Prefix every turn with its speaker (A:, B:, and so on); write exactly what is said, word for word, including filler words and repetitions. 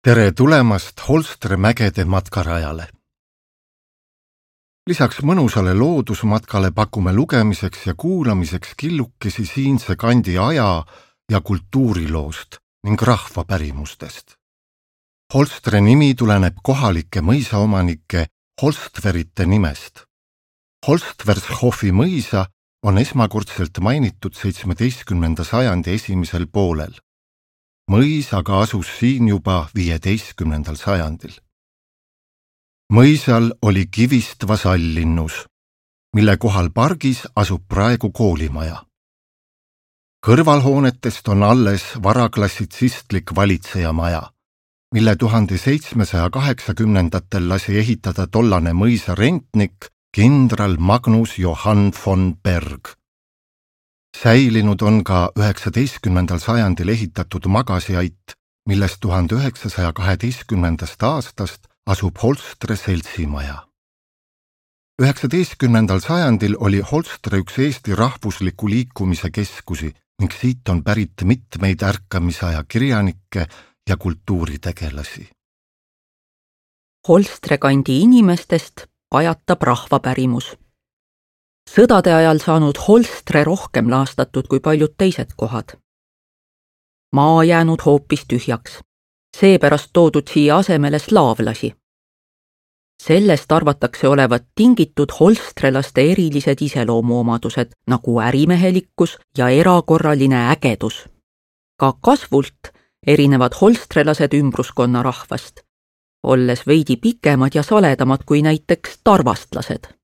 A: Tere tulemast Holstre mägede matkarajale! Lisaks mõnusale loodusmatkale pakume lugemiseks ja kuulamiseks killukesi siinse kandi aja- ja kultuuriloost ning rahvapärimustest. Holstre nimi tuleneb kohalike mõisaomanike Holstverite nimest. Holstvershofi mõisa on esmakordselt mainitud seitsmeteistkümnenda sajandi esimesel poolel. Mõis aga asus siin juba viieteistkümnendal sajandil. Mõisal oli kivist vasallinnus, mille kohal pargis asub praegu koolimaja. Kõrvalhoonetest on alles varaklassitsistlik valitsejamaja, mille tuhande seitsmesaja kaheksakümnendatel lasi ehitada tollane mõisa rentnik kindral Magnus Johann von Berg. Säilinud on ka üheksateistkümnendal sajandil ehitatud magasiait, millest tuhande üheksasaja kaheteistkümnendast aastast asub Holstre seltsimaja. üheksateistkümnendal sajandil oli Holstre üks Eesti rahvusliku liikumise keskusi ning siit on pärit mitmeid ärkamisaja kirjanikke ja kultuuritegelasi.
B: Holstre kandi inimestest pajatab rahvapärimus. Sõdade ajal saanud Holstre rohkem laastatud kui paljud teised kohad. Maa jäänud hoopis tühjaks, seepärast toodud siia asemele slaavlasi. Sellest arvatakse olevat tingitud holstrelaste erilised iseloomuomadused nagu ärimehelikkus ja erakorraline ägedus. Ka kasvult erinevad holstrelased ümbruskonna rahvast, olles veidi pikemad ja saledamad kui näiteks tarvastlased.